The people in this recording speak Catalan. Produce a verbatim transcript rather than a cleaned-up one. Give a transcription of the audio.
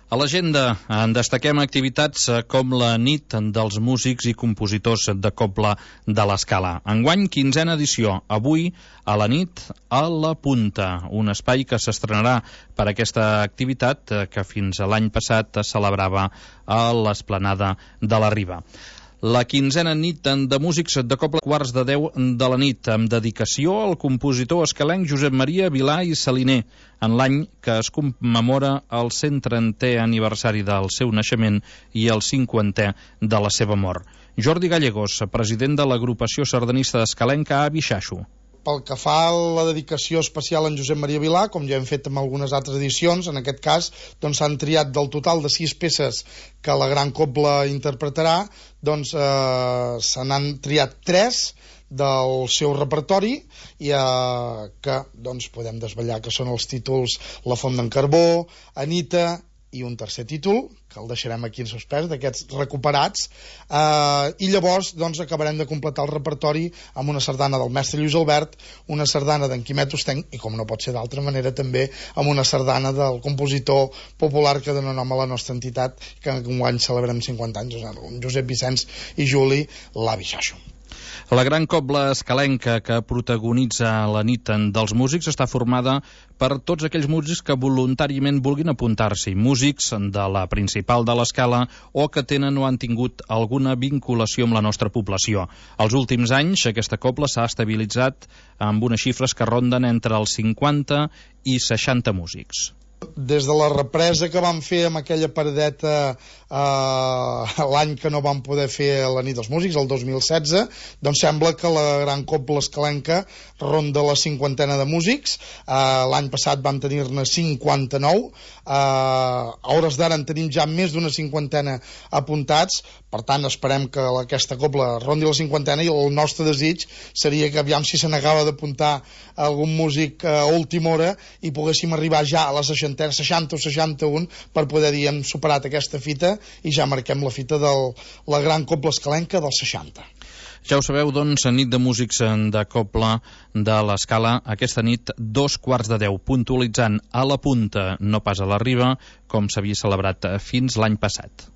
A l'agenda en destaquem activitats com la nit dels músics i compositors de Cobla de l'Escala. Enguany, quinzena edició, avui a la nit a la Punta, un espai que s'estrenarà per aquesta activitat que fins a l'any passat es celebrava a l'Esplanada de la Riba. La quinzena nit de músics de Cobla, quarts de deu de la nit, amb dedicació al compositor escalenc Josep Maria Vilà i Saliner, en l'any que es commemora el cent trentè aniversari del seu naixement i el cinquantè de la seva mort. Jordi Gallegos, president de l'agrupació sardanista escalenca Avi Xaxo. Pel que fa a la dedicació especial a en Josep Maria Vilà, com ja hem fet en algunes altres edicions, en aquest cas doncs s'han triat del total de sis peces que la Gran Cobla interpretarà, doncs eh, se n'han triat tres del seu repertori i eh, que doncs podem desvetllar que són els títols La Font d'en Carbó, Anita i un tercer títol, que el deixarem aquí en suspès, d'aquests recuperats, eh, i llavors doncs, acabarem de completar el repertori amb una sardana del mestre Lluís Albert, una sardana d'en Quimet Ostenc i, com no pot ser d'altra manera, també amb una sardana del compositor popular que dona nom a la nostra entitat, que enguany celebrem cinquanta anys, Josep Vicenç i Juli, l'Avi Xaxo. La Gran Cobla escalenca que protagonitza la nit dels músics està formada per tots aquells músics que voluntàriament vulguin apuntar-s'hi, músics de la principal de l'Escala o que tenen o han tingut alguna vinculació amb la nostra població. Els últims anys aquesta cobla s'ha estabilitzat amb unes xifres que ronden entre els cinquanta i seixanta músics. Des de la represa que vam fer amb aquella paradeta eh, l'any que no vam poder fer la nit dels músics, el dos mil setze, doncs sembla que la Gran Cobla escalenca ronda la cinquantena de músics. eh, l'any passat vam tenir-ne cinquanta-nou, eh, a hores d'ara en tenim ja més d'una cinquantena apuntats, per tant esperem que aquesta cobla rondi la cinquantena i el nostre desig seria que aviam si se n'acaba d'apuntar algun músic a última hora i poguéssim arribar ja a la seixantena, seixanta o seixanta-un, per poder dir hem superat aquesta fita i ja marquem la fita de la Gran Cobla escalenca del seixanta. Ja ho sabeu, doncs, nit de músics de Cobla de l'Escala, aquesta nit, dos quarts de deu, puntualitzant a la Punta, no pas a la Riba, com s'havia celebrat fins l'any passat.